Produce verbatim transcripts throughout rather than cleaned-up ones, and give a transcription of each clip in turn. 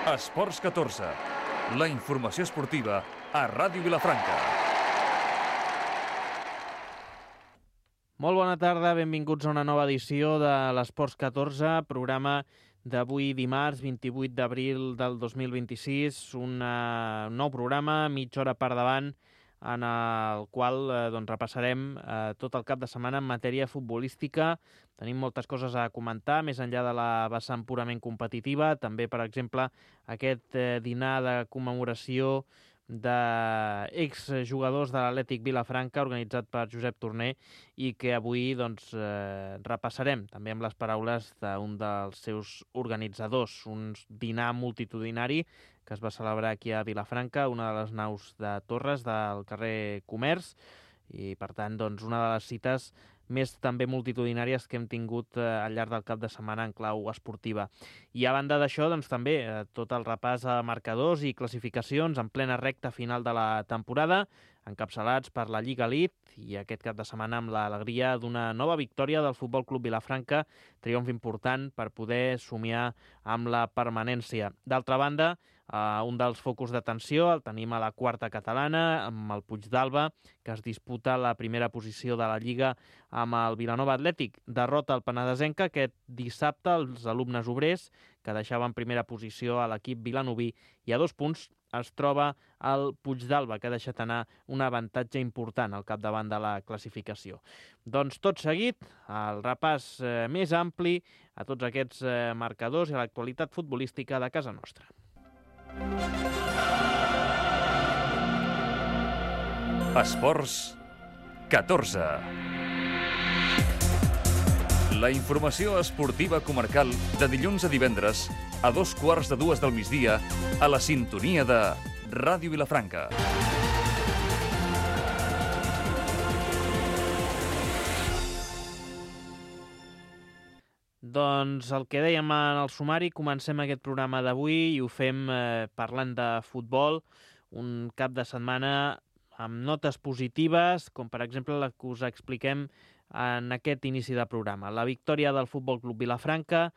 Esports catorze, la informació esportiva a Ràdio Vilafranca. Molt bona tarda, benvinguts a una nova edició de l'Esports catorze, programa d'avui dimarts vint-i-vuit d'abril del dos mil vint-i-sis, un nou programa, mitja hora per davant, en el qual eh, doncs, repassarem eh, tot el cap de setmana en matèria futbolística. Tenim moltes coses a comentar, més enllà de la vessant purament competitiva. També, per exemple, aquest eh, dinar de commemoració d'exjugadors de l'Atlètic Vilafranca, organitzat per Josep Torner, i que avui doncs, eh, repassarem, també amb les paraules d'un dels seus organitzadors. Un dinar multitudinari que es va celebrar aquí a Vilafranca, una de les naus de Torres del carrer Comerç, i per tant doncs, una de les cites més també multitudinàries que hem tingut eh, al llarg del cap de setmana en clau esportiva. I a banda d'això, doncs, també eh, tot el repàs a marcadors i classificacions en plena recta final de la temporada, encapçalats per la Lliga Elite, i aquest cap de setmana amb l'alegria d'una nova victòria del Futbol Club Vilafranca, triomf important per poder somiar amb la permanència. D'altra banda, Uh, un dels focus d'atenció el tenim a la quarta catalana, amb el Puigdàlber, que es disputa la primera posició de la Lliga amb el Vilanova Atlètic. Derrota el Penedesenca aquest dissabte els alumnes obrers, que deixaven primera posició a l'equip vilanoví, i a dos punts es troba el Puigdàlber, que ha deixat anar un avantatge important al capdavant de la classificació. Doncs tot seguit, el repàs eh, més ampli a tots aquests eh, marcadors i a l'actualitat futbolística de casa nostra. Esports catorze. La informació esportiva comarcal de dilluns a divendres a dos quarts de dues del migdia a la sintonia de Ràdio Vilafranca. Doncs el que dèiem en el sumari, comencem aquest programa d'avui i ho fem eh, parlant de futbol, un cap de setmana amb notes positives, com per exemple la que us expliquem en aquest inici de programa. La victòria del Futbol Club Vilafranca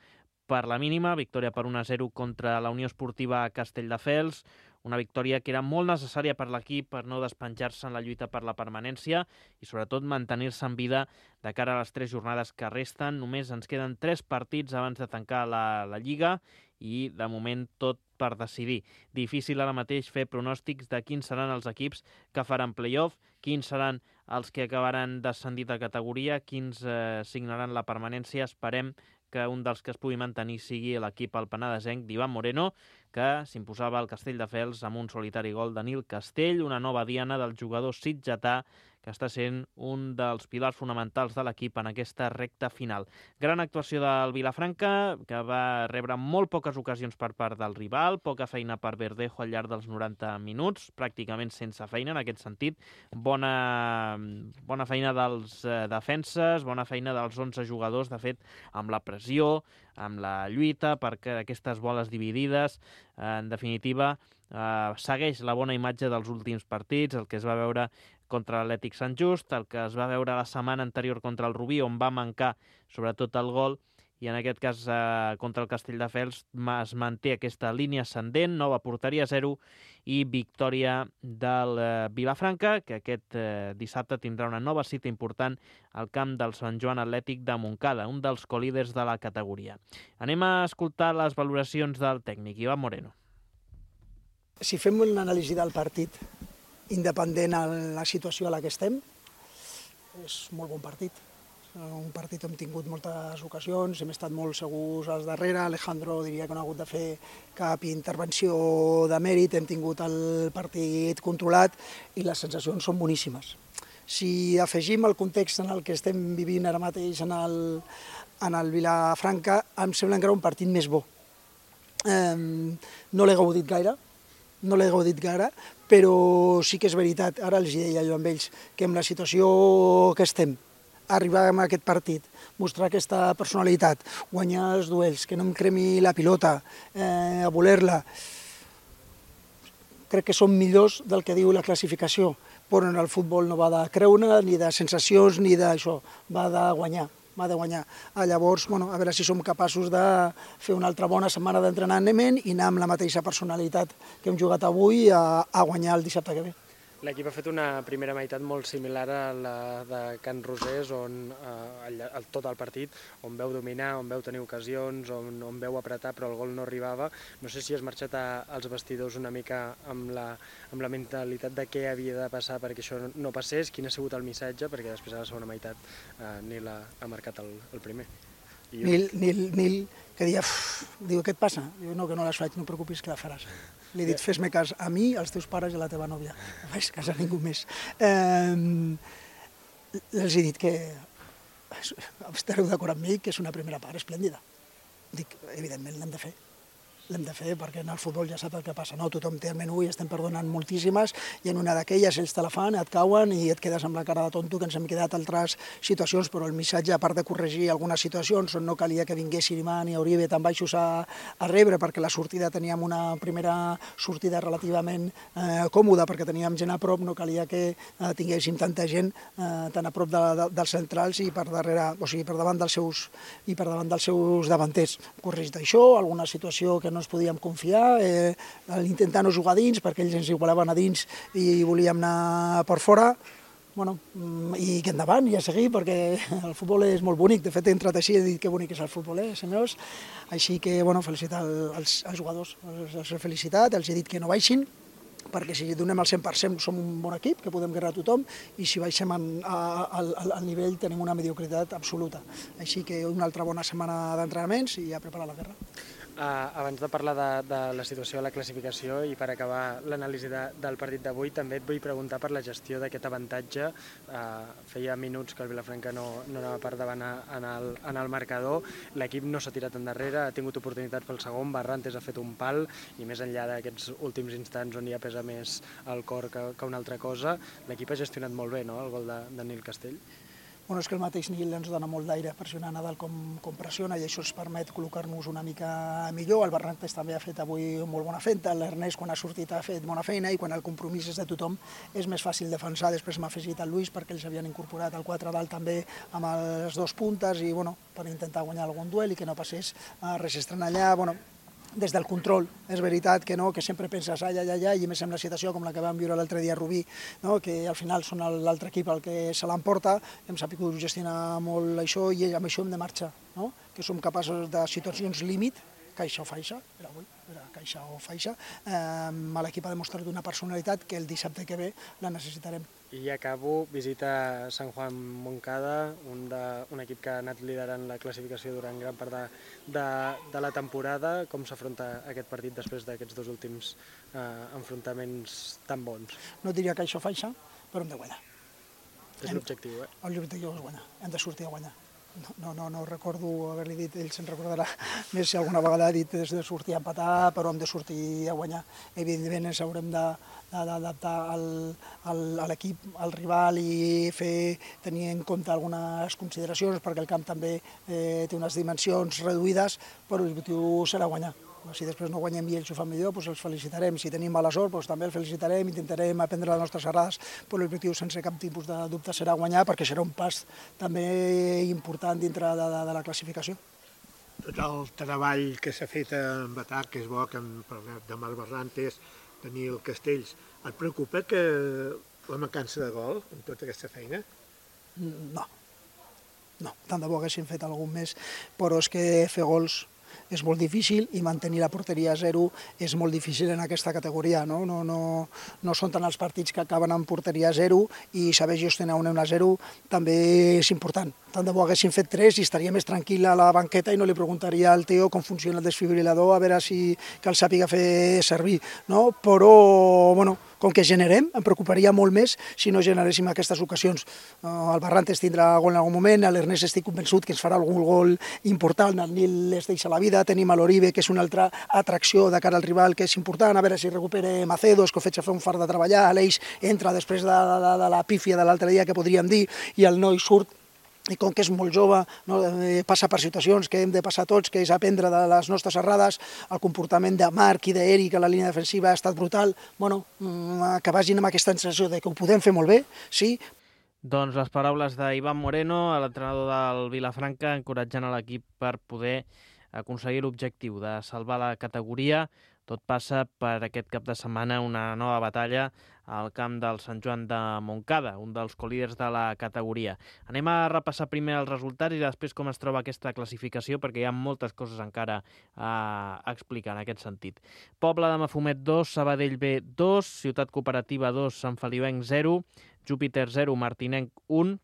per la mínima, victòria per un a zero contra la Unió Esportiva Castelldefels, una victòria que era molt necessària per l'equip per no despenjar-se en la lluita per la permanència i sobretot mantenir-se en vida de cara a les tres jornades que resten. Només ens queden tres partits abans de tancar la, la Lliga i de moment tot per decidir. Difícil ara mateix fer pronòstics de quins seran els equips que faran play-off, quins seran els que acabaran descendit de categoria, quins eh, signaran la permanència. Esperem que un dels que es pugui mantenir sigui l'equip al penedesenc d'Ivan Moreno, que s'imposava al Castelldefels amb un solitari gol de Nil Castell, una nova diana del jugador sitgetà, que està sent un dels pilars fonamentals de l'equip en aquesta recta final. Gran actuació del Vilafranca, que va rebre molt poques ocasions per part del rival, poca feina per Verdejo al llarg dels noranta minuts, pràcticament sense feina en aquest sentit. Bona, bona feina dels eh, defenses, bona feina dels onze jugadors, de fet, amb la pressió, amb la lluita per aquestes boles dividides. En definitiva, eh, segueix la bona imatge dels últims partits, el que es va veure contra l'Atlètic Sant Just, el que es va veure la setmana anterior contra el Rubí, on va mancar sobretot el gol, i en aquest cas eh, contra el Castelldefels es manté aquesta línia ascendent, nova porteria zero i victòria del eh, Vilafranca, que aquest eh, dissabte tindrà una nova cita important al camp del Sant Joan Atlètic de Montcada, un dels colíders de la categoria. Anem a escoltar les valoracions del tècnic, Ivan Moreno. Si fem una anàlisi del partit, independent de la situació a la que estem, és molt bon partit. Un partit on hem tingut moltes ocasions, hem estat molt segurs als darrere, Alejandro diria que no ha hagut de fer cap intervenció de mèrit, hem tingut el partit controlat i les sensacions són boníssimes. Si afegim el context en el que estem vivint ara mateix en el, en el Vilafranca, em sembla encara un partit més bo. Eh, no l'he gaudit gaire, no l'he gaudit gaire, però sí que és veritat, ara els deia jo amb ells, que amb la situació que estem, arribar a aquest partit, mostrar aquesta personalitat, guanyar els duels, que no em cremi la pilota, eh, a voler-la, crec que són millors del que diu la classificació, però en el futbol no va de creure, ni de sensacions, ni d'això, va de guanyar. m'ha de guanyar. Llavors, bueno, a veure si som capaços de fer una altra bona setmana d'entrenament i anar amb la mateixa personalitat que hem jugat avui a, a guanyar el dissabte que ve. L'equip ha fet una primera meitat molt similar a la de Can Rosés, on eh, el, el, tot el partit, on veu dominar, on veu tenir ocasions, on, on veu apretar, però el gol no arribava. No sé si has marxat a, als vestidors una mica amb la, amb la mentalitat de què havia de passar perquè això no passés, quin ha sigut el missatge, perquè després a la segona meitat eh, Nil ha, ha marcat el, el primer. I jo... Nil, Nil, Nil, que dia, diu, què et passa? Diu, no, que no les faig, no et preocupis, que la faràs. Li he dit, fes-me cas a mi, als teus pares i a la teva nòvia. No faig cas a ningú més. Eh, els he dit que estareu d'acord amb mi, que és una primera part esplèndida. Dic, evidentment l'hem de fer. L'hem de fer perquè en el futbol ja sap el que passa, no? Tothom té el menú i estem perdonant moltíssimes i en una d'aquelles ells te la fan, et cauen i et quedes amb la cara de tonto, que ens hem quedat altres situacions, però el missatge, a part de corregir algunes situacions on no calia que vinguessin Iman i Oribe tan baixos a, a rebre, perquè la sortida teníem una primera sortida relativament eh, còmoda, perquè teníem gent a prop, no calia que eh, tinguéssim tanta gent eh, tan a prop de, de, dels centrals i per darrere, o sigui, per davant dels seus i per davant dels seus davanters. Corregit això, alguna situació que no ens podíem confiar, eh, intentar no jugar a dins, perquè ells ens igualaven a dins i volíem anar per fora, bueno, i que endavant i a seguir, perquè el futbol és molt bonic. De fet, he entrat així i he dit que bonic és el futbol, eh, senyors? Així que, bueno, felicitar els, els jugadors, els, els he felicitat, els he dit que no baixin, perquè si donem el cent per cent som un bon equip, que podem guerrar a tothom, i si baixem en, a, al, al nivell tenim una mediocritat absoluta. Així que una altra bona setmana d'entrenaments i a preparar la guerra. Uh, abans de parlar de, de la situació a la classificació i per acabar l'anàlisi de, del partit d'avui, també et vull preguntar per la gestió d'aquest avantatge. Uh, feia minuts que el Vilafranca no, no anava per davant en el, en el marcador, l'equip no s'ha tirat endarrere, ha tingut oportunitats pel segon, Barrantes ha fet un pal i més enllà d'aquests últims instants on ja pesa més el cor que, que una altra cosa, l'equip ha gestionat molt bé, no?, el gol de, de Nil Castell. Bueno, és que el mateix Nil ens dona molt d'aire pressionar Nadal com, com pressiona i això ens permet col·locar-nos una mica millor. El Barrantes també ha fet avui molt bona feina, l'Ernest quan ha sortit ha fet bona feina i quan el compromís és de tothom és més fàcil defensar. Després m'ha afegit el Lluís perquè ells havien incorporat el quatre dalt també amb els dos puntes i bueno, per intentar guanyar algun duel i que no passés a res estrany allà. Bueno, des del control, és veritat que no, que sempre penses ai, ai, ai, ai, i més en la situació com la que vam viure l'altre dia a Rubí, no? Que al final són l'altre equip el que se l'emporta, hem sabut gestionar molt això i amb això hem de marxar, no? Que som capaços de situacions límit, caixa o faixa, era avui, era caixa o faixa, eh, l'equip ha demostrat una personalitat que el dissabte que ve la necessitarem. I acabo, visita Sant Juan Moncada, un, de, un equip que ha anat liderant la classificació durant gran part de, de, de la temporada. Com s'afronta aquest partit després d'aquests dos últims eh, enfrontaments tan bons? No diria caixa o faixa, però hem de guanyar. És l'objectiu, eh? L'objectiu és guanyar, hem de sortir a guanyar. No, no, no recordo haver-li dit, ell se'n recordarà més si alguna vegada ha dit des de sortir a empatar, però hem de sortir a guanyar. Evidentment ens haurem d'adaptar a l'equip, al rival i fer tenir en compte algunes consideracions perquè el camp també eh, té unes dimensions reduïdes, però l'objectiu serà guanyar. Si després no guanyem i ells ho fan millor, doncs els felicitarem. Si tenim mala sort, doncs també els felicitarem, intentarem aprendre les nostres errades, però l'objectiu sense cap tipus de dubte serà guanyar, perquè serà un pas també important dintre de, de, de la classificació. Tot el treball que s'ha fet amb atac, que és bo, que hem parlat de Marc Barrantes, de Nil Castells, et preocupa que la mancança de gol en tota aquesta feina? No, no, tant de bo haguéssim fet algun més, però és que fer gols és molt difícil i mantenir la porteria a zero és molt difícil en aquesta categoria. No, no, no, no són tant els partits que acaben amb porteria a zero i saber gestionar un un a zero també és important. Tant de bo haguéssim fet tres i estaria més tranquil a la banqueta i no li preguntaria al Teo com funciona el desfibrilador a veure si que el sàpiga fer servir. No? Però, bueno, com que generem, em preocuparia molt més si no generéssim aquestes ocasions. El Barrantes tindrà gol en algun moment, l'Ernest estic convençut que ens farà algun gol important, el Nil es deixa la vida, tenim a l'Oribe, que és una altra atracció de cara al rival, que és important, a veure si recupera Macedo, que ho faig a fer un fart de treballar, l'Eix entra després de, de, de la pífia de l'altre dia que podríem dir, i el noi surt, i com que és molt jove, no, passa per situacions que hem de passar tots, que és aprendre de les nostres errades, el comportament de Marc i d'Eric a la línia defensiva ha estat brutal, bueno, que vagin amb aquesta sensació de que ho podem fer molt bé, sí. Doncs les paraules d'Ivan Moreno, l'entrenador del Vilafranca, encoratjant a l'equip per poder aconseguir l'objectiu de salvar la categoria. Tot passa per aquest cap de setmana una nova batalla al camp del Sant Joan de Montcada, un dels colíders de la categoria. Anem a repassar primer els resultats i després com es troba aquesta classificació, perquè hi ha moltes coses encara a explicar en aquest sentit. Pobla de Mafumet dos, Sabadell B dos, Ciutat Cooperativa dos, Sant Feliuenc zero, Júpiter zero, Martinenc un,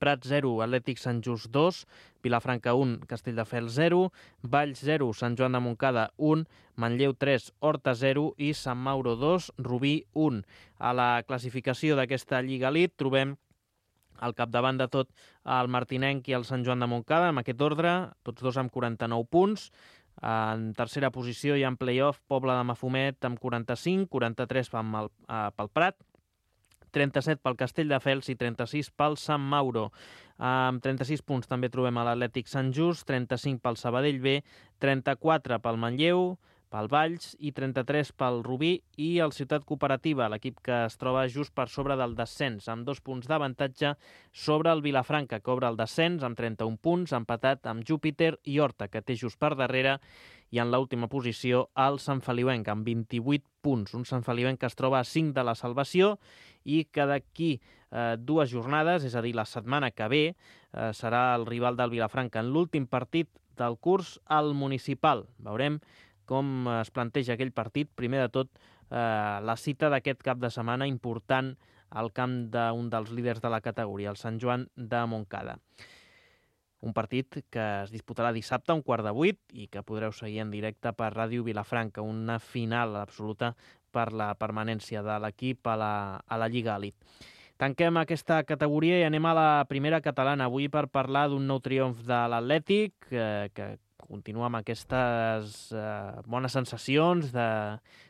Prat zero, Atlètic Sant Just dos, Vilafranca un, Castelldefels zero, Valls zero, Sant Joan de Montcada un, Manlleu tres, Horta zero i Sant Mauro dos, Rubí un. A la classificació d'aquesta Lliga Elite trobem al capdavant de tot el Martinenc i el Sant Joan de Montcada, en aquest ordre, tots dos amb quaranta-nou punts. En tercera posició hi ha en play-off Pobla de Mafumet amb quaranta-cinc, quaranta-tres pel, eh, pel Prat, trenta-set pel Castelldefels i trenta-sis pel Sant Mauro. Amb trenta-sis punts també trobem a l'Atlètic Sant Just, trenta-cinc pel Sabadell B, trenta-quatre pel Manlleu, pel Valls i trenta-tres pel Rubí i el Ciutat Cooperativa, l'equip que es troba just per sobre del descens, amb dos punts d'avantatge sobre el Vilafranca, que obre el descens amb trenta-un punts, empatat amb Júpiter i Horta, que té just per darrere, i en l'última posició el Sant Feliuenc, amb vint-i-vuit punts. Un Sant Feliuenc que es troba a cinc de la salvació i que d'aquí eh, dues jornades, és a dir, la setmana que ve, eh, serà el rival del Vilafranca en l'últim partit del curs al Municipal. Veurem com es planteja aquell partit. Primer de tot, eh, la cita d'aquest cap de setmana important al camp d'un dels líders de la categoria, el Sant Joan de Montcada. Un partit que es disputarà dissabte a un quart de vuit i que podreu seguir en directe per Ràdio Vilafranca, una final absoluta per la permanència de l'equip a la, a la Lliga Elite. Tanquem aquesta categoria i anem a la primera catalana avui per parlar d'un nou triomf de l'Atlètic, eh, que continua amb aquestes eh, bones sensacions de,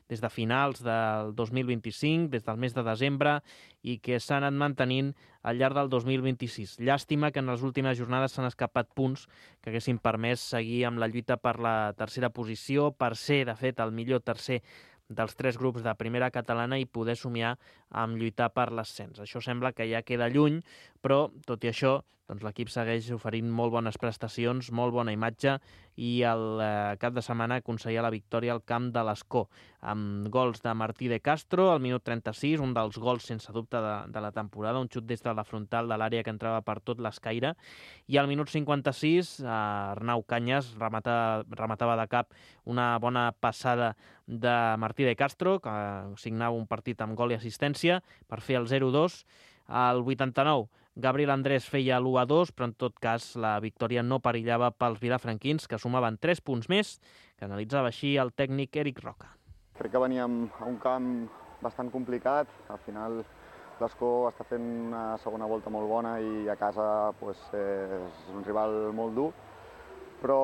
des de finals del dos mil vint-i-cinc, des del mes de desembre, i que s'han anat mantenint al llarg del dos mil vint-i-sis. Llàstima que en les últimes jornades s'han escapat punts que haguessin permès seguir amb la lluita per la tercera posició, per ser, de fet, el millor tercer dels tres grups de primera catalana i poder somiar amb lluitar per l'ascens. Això sembla que ja queda lluny, però, tot i això, doncs l'equip segueix oferint molt bones prestacions, molt bona imatge, i el eh, cap de setmana aconseguia la victòria al camp de l'Escó, amb gols de Martí de Castro al minut trenta-sis, un dels gols sense dubte de, de la temporada, un xut des de la frontal de l'àrea que entrava per tot l'escaire, i al minut cinquanta-sis eh, Arnau Canyes remata, rematava de cap una bona passada de Martí de Castro, que signava un partit amb gol i assistència per fer el zero dos. Al vuitanta-nou, Gabriel Andrés feia l'u a dos, però en tot cas la victòria no perillava pels vilafranquins, que sumaven tres punts més, que analitzava així el tècnic Eric Roca. Crec que veníem a un camp bastant complicat. Al final l'Escó està fent una segona volta molt bona i a casa pues, és un rival molt dur. Però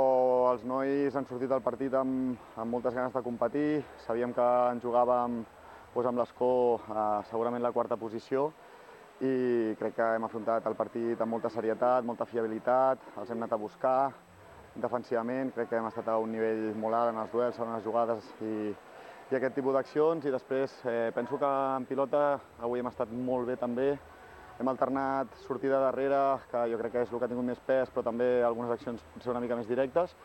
els nois han sortit del partit amb, amb moltes ganes de competir. Sabíem que ens jugàvem pues, amb l'Escó eh, segurament la quarta posició, i crec que hem afrontat el partit amb molta serietat, molta fiabilitat, els hem anat a buscar defensivament, crec que hem estat a un nivell molt alt en els duels, en les jugades i, i aquest tipus d'accions, i després eh, penso que en pilota avui hem estat molt bé també, hem alternat sortida darrere, que jo crec que és el que ha tingut més pes, però també algunes accions potser una mica més directes,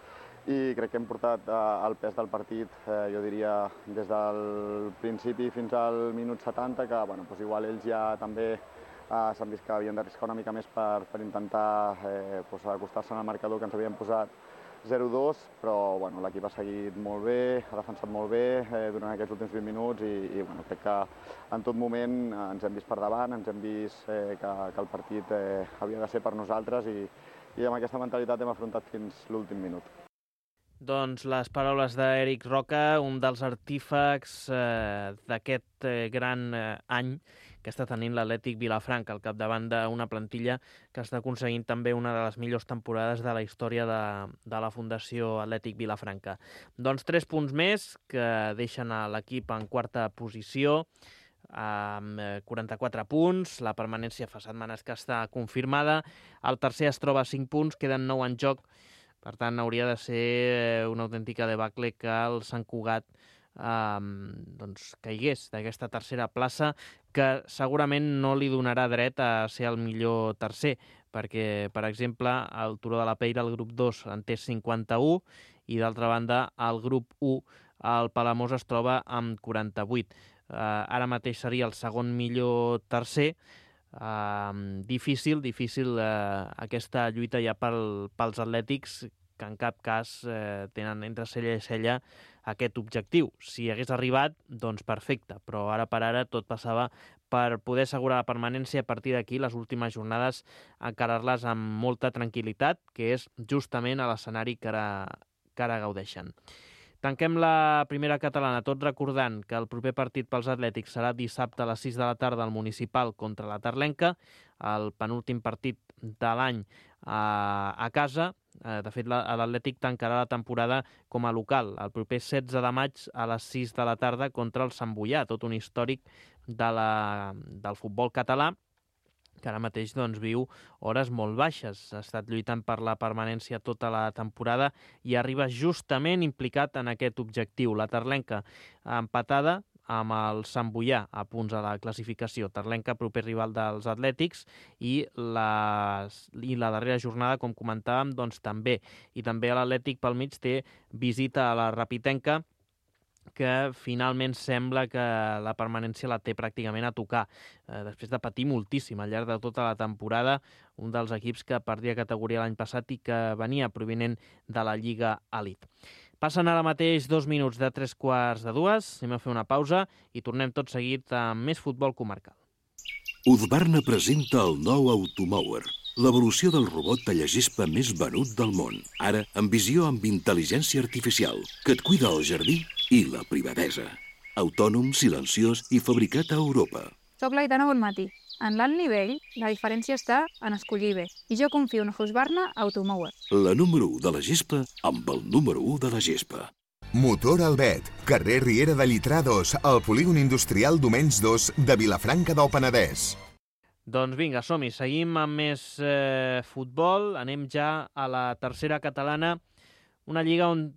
i crec que hem portat eh, el pes del partit, eh, jo diria, des del principi fins al minut setanta, que bueno, doncs igual ells ja també Uh, s'han vist que havien d'arriscar una mica més per, per intentar eh, pues, acostar-se al marcador que ens havien posat zero dos, però bueno, l'equip ha seguit molt bé, ha defensat molt bé eh, durant aquests últims vint minuts i, i bueno, crec que en tot moment eh, ens hem vist per davant, ens hem vist eh, que, que el partit eh, havia de ser per nosaltres i, i amb aquesta mentalitat hem afrontat fins l'últim minut. Doncs les paraules d'Eric Roca, un dels artífecs eh, d'aquest eh, gran eh, any que està tenint l'Atlètic Vilafranca al capdavant d'una plantilla que està aconseguint també una de les millors temporades de la història de, de la Fundació Atlètic Vilafranca. Doncs tres punts més que deixen a l'equip en quarta posició, amb quaranta-quatre punts, la permanència fa setmanes que està confirmada, el tercer es troba a cinc punts, queden nou en joc, per tant hauria de ser una autèntica debacle que el Sant Cugat eh, doncs, caigués d'aquesta tercera plaça, que segurament no li donarà dret a ser el millor tercer, perquè, per exemple, el Turó de la Peira, el grup dos, en té cinquanta-u, i d'altra banda, el grup u, el Palamós, es troba amb quaranta-vuit. Uh, ara mateix seria el segon millor tercer. Uh, difícil, difícil uh, aquesta lluita ja pel, pels atlètics, que en cap cas uh, tenen entre cella i cella aquest objectiu. Si hagués arribat, doncs perfecte, però ara per ara tot passava per poder assegurar la permanència. A partir d'aquí, les últimes jornades, encarar-les amb molta tranquil·litat, que és justament a l'escenari que ara, que ara gaudeixen. Tanquem la primera catalana, tot recordant que el proper partit pels atlètics serà dissabte a les sis de la tarda al Municipal contra la Terlenca, el penúltim partit de l'any a, a casa. De fet, l'Atlètic tancarà la temporada com a local el proper setze de maig a les sis de la tarda contra el Sant Boià, tot un històric de la, del futbol català, que ara mateix doncs, viu hores molt baixes. Ha estat lluitant per la permanència tota la temporada i arriba justament implicat en aquest objectiu. La Terlenca empatada amb el Sant Boià a punts a la classificació. Terlenca, proper rival dels Atlètics, i la, i la darrera jornada, com comentàvem, doncs també. I també l'Atlètic pel mig té visita a la Rapitenca, que finalment sembla que la permanència la té pràcticament a tocar, eh, després de patir moltíssim al llarg de tota la temporada, un dels equips que perdia categoria l'any passat i que venia provinent de la Lliga Elite. Passen ara mateix dos minuts de tres quarts de dues, anem a fer una pausa i tornem tot seguit amb més futbol comarcal. Husqvarna presenta el nou Automower, l'evolució del robot tallagespa més venut del món. Ara, amb visió amb intel·ligència artificial, que et cuida el jardí i la privadesa. Autònom, silenciós i fabricat a Europa. Soc l'Aitana Bonmatí. En l'alt nivell, la diferència està en escollir bé. I jo confio en Husqvarna Automower. La número u de la gespa amb el número u de la gespa. Motor Albet, carrer Riera de Llitrà dos, al polígon industrial Domenys dos de Vilafranca del Penedès. Doncs vinga, som-hi. Seguim amb més eh, futbol. Anem ja a la tercera catalana, una lliga on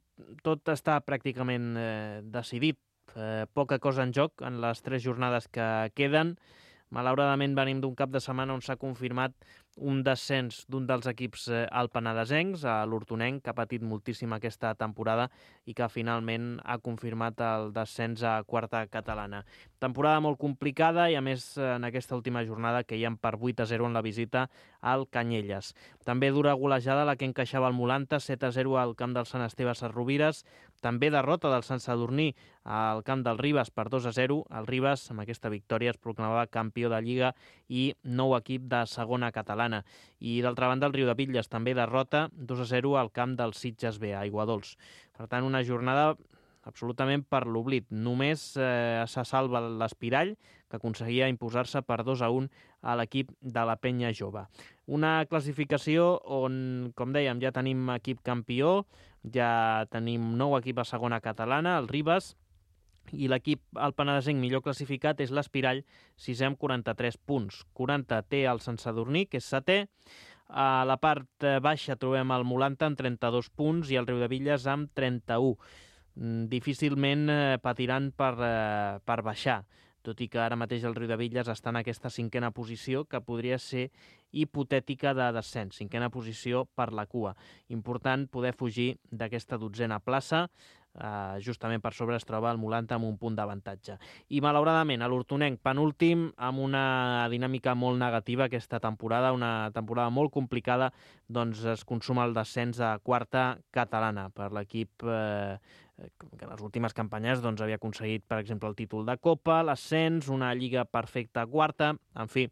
tot està pràcticament eh, decidit. Eh, poca cosa en joc en les tres jornades que queden. Malauradament venim d'un cap de setmana on s'ha confirmat un descens d'un dels equips eh, alpenadesencs, a l'Hortonenc, que ha patit moltíssim aquesta temporada i que finalment ha confirmat el descens a quarta catalana. Temporada molt complicada i, a més, en aquesta última jornada queien per vuit a zero en la visita al Canyelles. També dura golejada la que encaixava el Molanta, set a zero al camp del Sant Esteve Sesrovires. També derrota del Sant Sadurní al camp del Ribes per dos a zero. El Ribes, amb aquesta victòria, es proclamava campió de Lliga i nou equip de segona catalana. I, d'altra banda, el Riudebitlles també derrota dos a zero al camp del Sitges B, a Aiguadols. Per tant, una jornada absolutament per l'oblit. Només eh, se salva l'Espirall, que aconseguia imposar-se per dos a un a l'equip de la Penya Jove. Una classificació on, com dèiem, ja tenim equip campió, ja tenim nou equip a segona catalana, el Ribes, i l'equip alpenadesenc millor classificat és l'Espirall, sisè amb quaranta-tres punts. quaranta té el Sant Sadurní, que és setè. A la part baixa trobem el Molanta amb trenta-dos punts i el Riudebitlles amb trenta-u. Difícilment eh, patiran per, eh, per baixar, tot i que ara mateix el Riudebitlles està en aquesta cinquena posició, que podria ser hipotètica de descens, cinquena posició per la cua. Important poder fugir d'aquesta dotzena plaça. Uh, justament per sobre es troba el Molanta amb un punt d'avantatge. I malauradament, a l'Hortonenc, penúltim, amb una dinàmica molt negativa aquesta temporada, una temporada molt complicada, doncs es consuma el descens a quarta catalana per l'equip eh, que en les últimes campanyes doncs, havia aconseguit, per exemple, el títol de Copa, l'ascens, una lliga perfecta a quarta, en fi,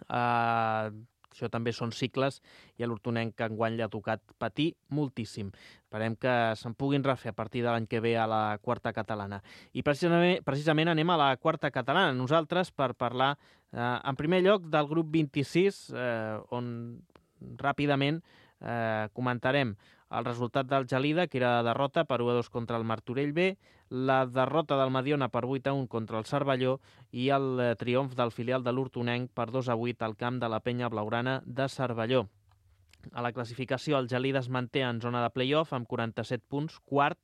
eh, això també són cicles i a l'Hortonenc que enguany li ha tocat patir moltíssim. Esperem que se'n puguin refer a partir de l'any que ve a la quarta catalana. I precisament, precisament anem a la quarta catalana, nosaltres, per parlar, eh, en primer lloc, del grup vint-i-sis, eh, on ràpidament eh, comentarem el resultat del Gelida, que era derrota per u a dos contra el Martorell B, la derrota del Mediona per vuit a un contra el Cervelló i el eh, triomf del filial de l'Hortonenc per dos a vuit al camp de la Penya Blaugrana de Cervelló. A la classificació, el Gelida es manté en zona de play-off amb quaranta-set punts, quart,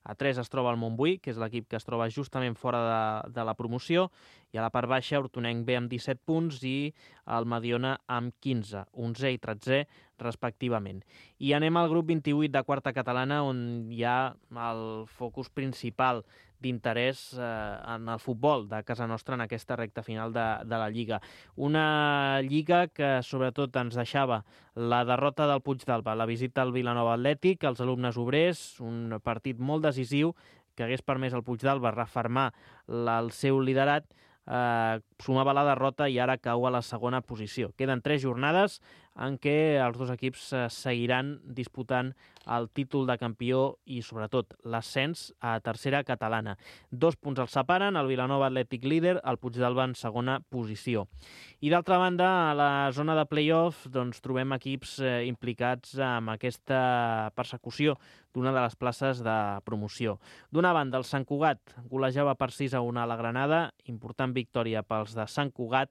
A tres es troba el Montbui, que és l'equip que es troba justament fora de, de la promoció, i a la part baixa Hortonenc B amb disset punts i el Mediona amb quinze, onzè i tretzè respectivament. I anem al grup vint-i-vuit de quarta catalana, on hi ha el focus principal d'interès eh, en el futbol de casa nostra en aquesta recta final de, de la Lliga. Una Lliga que sobretot ens deixava la derrota del Puigdàlber, la visita al Vilanova Atlètic, els alumnes obrers, un partit molt decisiu que hagués permès al Puigdàlber refermar la, el seu liderat, eh, sumava la derrota i ara cau a la segona posició. Queden tres jornades en què els dos equips eh, seguiran disputant el títol de campió i, sobretot, l'ascens a tercera catalana. Dos punts els separen, el Vilanova Atlètic líder, el Puigdàlber en segona posició. I, d'altra banda, a la zona de play-off doncs, trobem equips eh, implicats en aquesta persecució d'una de les places de promoció. D'una banda, el Sant Cugat golejava per sis a un a la Granada, important victòria pels de Sant Cugat,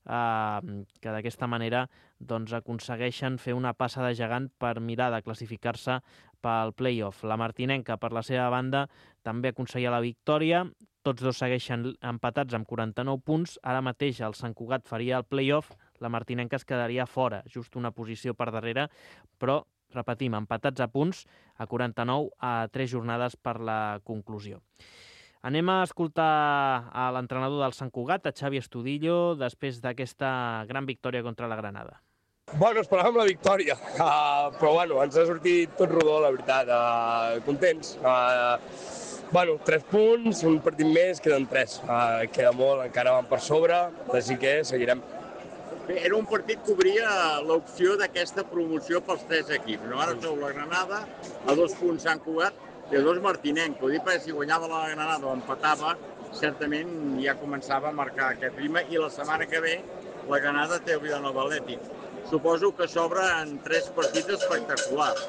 eh, que d'aquesta manera doncs, aconsegueixen fer una passa de gegant per mirar de classificar-se pel play-off. La martinenca, per la seva banda, també aconseguia la victòria. Tots dos segueixen empatats amb quaranta-nou punts. Ara mateix el Sant Cugat faria el play-off, la martinenca es quedaria fora, just una posició per darrere, però, repetim, empatats a punts, a quaranta-nou, a tres jornades per la conclusió. Anem a escoltar a l'entrenador del Sant Cugat, a Xavi Estudillo, després d'aquesta gran victòria contra la Granada. Bueno, esperàvem la victòria, uh, però bueno, ens ha sortit tot rodó, la veritat, uh, contents. Uh, bueno, tres punts, un partit més, queden tres. Uh, queda molt, encara van per sobre, així que seguirem. Bé, era un partit que obria l'opció d'aquesta promoció pels tres equips, no? Ara sou la Granada, a dos punts Sant Cugat i a dos Martinenc. Ho dic perquè si guanyava la Granada o empatava, certament ja començava a marcar aquest ritme i la setmana que ve la Granada té el Vilanova Atlètic. Suposo que s'obre en tres partits espectaculars.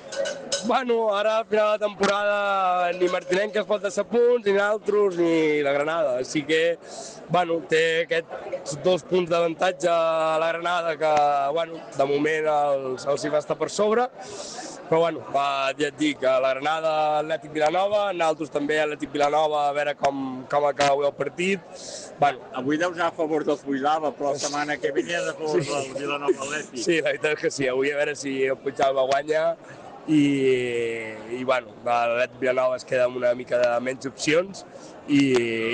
Bueno, ara a final de temporada ni Martinenc es pot deixar punts, ni nosaltres, ni la Granada. Així que, bueno, té aquests dos punts d'avantatge a la Granada que, bueno, de moment els, els hi va estar per sobre. Però, bueno, ja et dic, a la Granada, Atlètic Vilanova, nosaltres també Atlètic Vilanova, a veure com, com acaba el partit. Bueno, avui deus anar a favor del Puigdàlber, però la setmana que ve a favor sí. del Vilanova Atlètic. Sí, la veritat és que sí, avui a veure si el Puigdàlber guanya i, i bueno, l'Atlètic Vilanova es queda amb una mica de menys opcions i,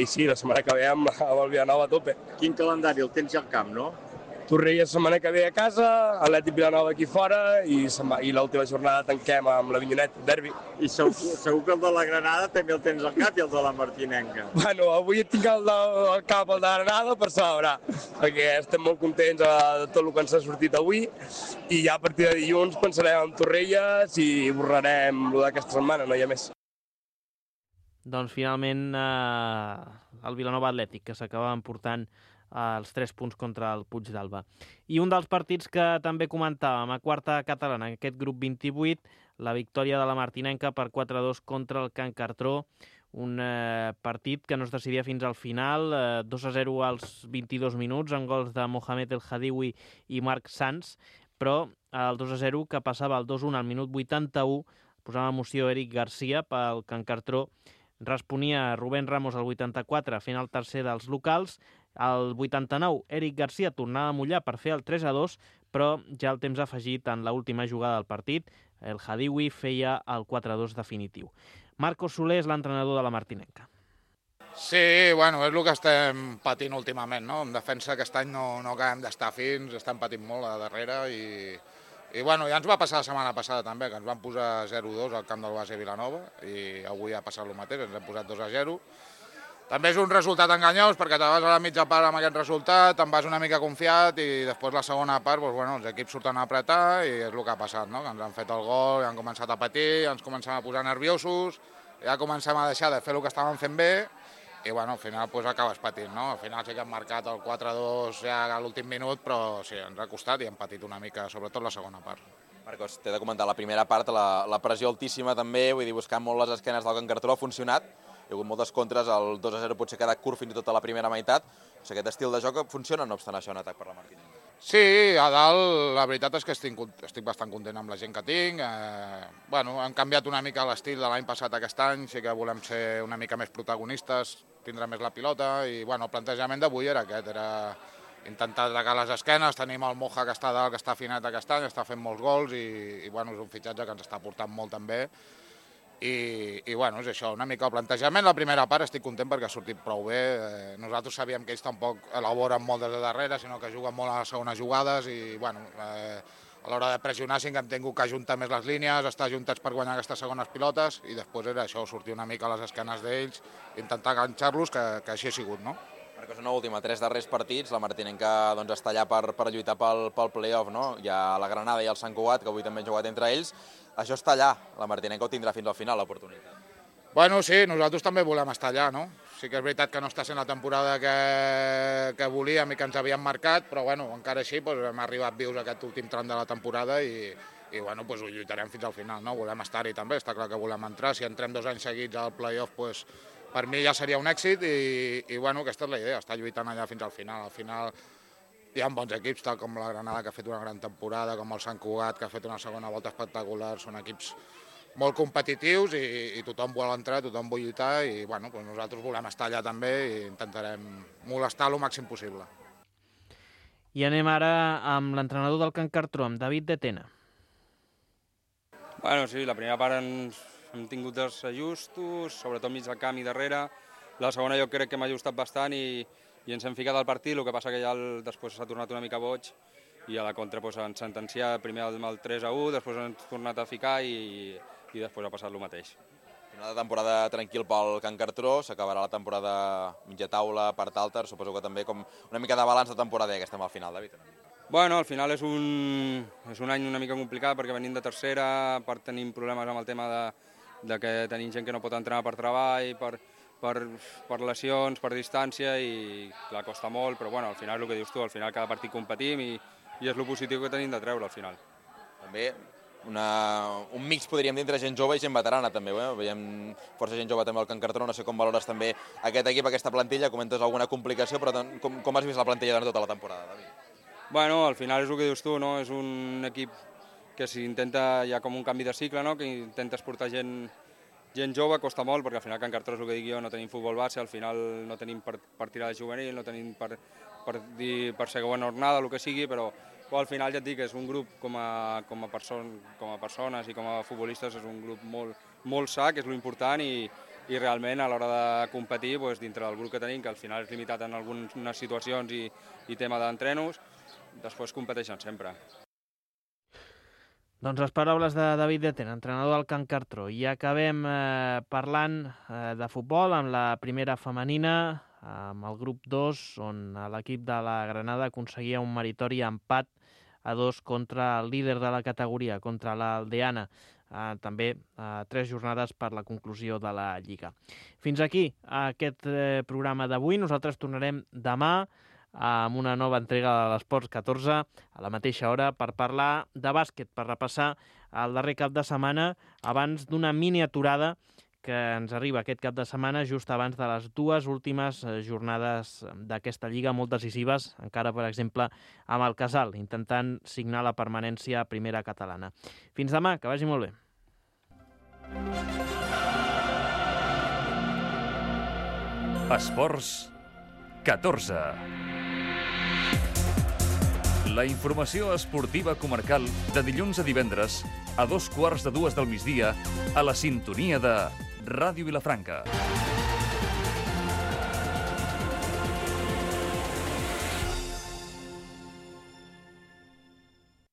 i sí, la setmana que ve amb, amb el Vilanova a tope. Quin calendari? El tens al camp, no? Torrella la setmana que ve a casa, Atlètic Vilanova aquí fora i, i l'última jornada tanquem amb la Vinyonet, derbi. I segur, segur que el de la Granada també el tens al cap i el de la Martinenca. Bueno, avui tinc el del cap el de la Granada per celebrar, perquè estem molt contents de tot el que ens ha sortit avui i ja a partir de dilluns pensarem en Torrelles i borrarem el d'aquesta setmana, no hi ha més. Doncs finalment eh, el Vilanova Atlètic, que s'acaba emportant els tres punts contra el Puigdàlber. I un dels partits que també comentàvem a quarta catalana, en aquest grup vint-i-vuit, la victòria de la martinenca per quatre a dos contra el Can Cartró, un eh, partit que no es decidia fins al final, eh, dos a zero als vint-i-dos minuts, amb gols de Mohamed El Hadiwi i Marc Sanz, però el dos a zero que passava al dos a un al minut vuitanta-u, posava emoció Eric Garcia pel Can Cartró, responia Rubén Ramos al vuitanta-quatre, fent el tercer dels locals. Al vuitanta-nou, Eric Garcia tornava a mullar per fer el tres a dos, però ja el temps afegit en l'última jugada del partit, el Hadiwi feia el quatre a dos definitiu. Marcos Soler és l'entrenador de la martinenca. Sí, bueno, és el que estem patint últimament, no? En defensa aquest any no, no acabem d'estar fins, estem patint molt a darrere i, i bueno, ja ens va passar la setmana passada també, que ens van posar zero a dos al camp del Base Vilanova i avui ha passat el mateix, ens hem posat dos a zero. També és un resultat enganyós perquè te vas a la mitja part amb aquest resultat, te'n vas una mica confiat i després la segona part doncs, bueno, els equips surten a apretar i és el que ha passat, no? Que ens han fet el gol, han començat a patir, ens comencem a posar nerviosos, ja comencem a deixar de fer el que estàvem fent bé i bueno, al final doncs, acabes patint, no? Al final sí que hem marcat el quatre a dos ja a l'últim minut, però sí, ens ha costat i hem patit una mica, sobretot la segona part. Marcos, t'he de comentar la primera part, la, la pressió altíssima també, vull dir, buscant molt les esquenes del Can Cartró ha funcionat. Hi ha hagut moltes contres, el dos a zero potser ha quedat curt fins i tot a la primera meitat. O sigui, aquest estil de joc funciona, no obstant això, en atac per la Martinenca. Sí, a dalt la veritat és que estic, estic bastant content amb la gent que tinc. Eh, bueno, hem canviat una mica l'estil de l'any passat a aquest any, sí que volem ser una mica més protagonistes, tindre més la pilota i bueno, el plantejament d'avui era aquest, era intentar atacar les esquenes. Tenim el Moja que està dalt, que està afinat aquest any, està fent molts gols i, i bueno, és un fitxatge que ens està portant molt també. I, i bueno, és això, una mica el plantejament. La primera part estic content perquè ha sortit prou bé. Eh, nosaltres sabíem que ells tampoc elaboren molt des de darrere, sinó que juguen molt a les segones jugades i bueno, eh, a l'hora de pressionar sí que hem tingut que ajuntar més les línies, estar ajuntats per guanyar aquestes segones pilotes i després era això, sortir una mica a les esquenes d'ells, intentar enganxar-los, que, que així ha sigut, no? Perquè és una última, tres darrers partits, la Martinenca doncs, està allà per, per lluitar pel, pel play-off, no? Hi ha la Granada i el Sant Cugat, que avui també han jugat entre ells. Això està allà, la Martinenca ho tindrà fins al final, l'oportunitat. Bueno, sí, nosaltres també volem estar allà, no? Sí que és veritat que no està sent la temporada que, que volíem i que ens havíem marcat, però bueno, encara així doncs, hem arribat vius a aquest últim tram de la temporada i, i bueno, doncs, ho lluitarem fins al final, no? Volem estar-hi també, està clar que volem entrar. Si entrem dos anys seguits al play-off, doncs, per mi ja seria un èxit i, i bueno, aquesta és la idea, estar lluitant allà fins al final. Al final hi ha bons equips, tal com la Granada, que ha fet una gran temporada, com el Sant Cugat, que ha fet una segona volta espectacular. Són equips molt competitius i, i tothom vol entrar, tothom vol lluitar i bueno, doncs nosaltres volem estar allà també i intentarem molestar el màxim possible. I anem ara amb l'entrenador del Can Cartró, amb David de Tena. Bueno, sí, la primera part ens hem tingut dels ajustos, sobretot mig del camp i darrere. La segona jo crec que m'ha ajustat bastant i, i ens hem ficat al partit, el que passa que ja el, després s'ha tornat una mica boig i a la contra doncs, ens sentencià primer el, el tres a u, després ens ha tornat a ficar i, i després ha passat el mateix. Final de temporada tranquil pel Can Cartró, s'acabarà la temporada mitja taula, part alta, suposo que també com una mica de balanç de temporada que estem al final, David. Bueno, al final és un, és un any una mica complicat perquè venim de tercera, a part tenim problemes amb el tema de, de que tenim gent que no pot entrenar per treball, per, per, per lesions, per distància i clar, costa molt, però bueno, al final el que dius tu, al final cada partit competim i, i és el positiu que tenim de treure al final. També una, un mix podríem dir entre gent jove i gent veterana també, eh? Veiem força gent jove també al Can Cartró, no sé com valores també aquest equip, aquesta plantilla, comentes alguna complicació, però com, com has vist la plantilla durant tota la temporada, David? Bueno, al final és el que dius tu, no? És un equip que s'intenta, hi ha com un canvi de cicle, no? Que intentes portar gent, gent jove, costa molt, perquè al final Can Cartró és el que dic jo, no tenim futbol base, al final no tenim per, per tirar de juvenil, no tenim per, per, dir, per segona jornada, el que sigui, però, però al final ja et dic que és un grup com a, com a, person, com a persones i com a futbolistes, és un grup molt, molt sa, que és l'important i, i realment a l'hora de competir, doncs, dintre del grup que tenim, que al final és limitat en algunes situacions i, i tema d'entrenos, després competeixen sempre. Doncs les paraules de David de Tena, entrenador del Can Cartró. I acabem eh, parlant eh, de futbol amb la primera femenina, amb el grup dos, on l'equip de la Granada aconseguia un meritori empat a dos contra el líder de la categoria, contra l'Aldeana. Eh, també eh, tres jornades per la conclusió de la Lliga. Fins aquí aquest eh, programa d'avui. Nosaltres tornarem demà amb una nova entrega de l'Esports catorze a la mateixa hora per parlar de bàsquet, per repassar el darrer cap de setmana abans d'una mini aturada que ens arriba aquest cap de setmana just abans de les dues últimes jornades d'aquesta lliga molt decisives, encara per exemple amb el Casal, intentant signar la permanència a primera catalana. Fins demà, que vagi molt bé. Esports catorze. La informació esportiva comarcal de dilluns a divendres a dos quarts de dues del migdia a la sintonia de Ràdio Vilafranca.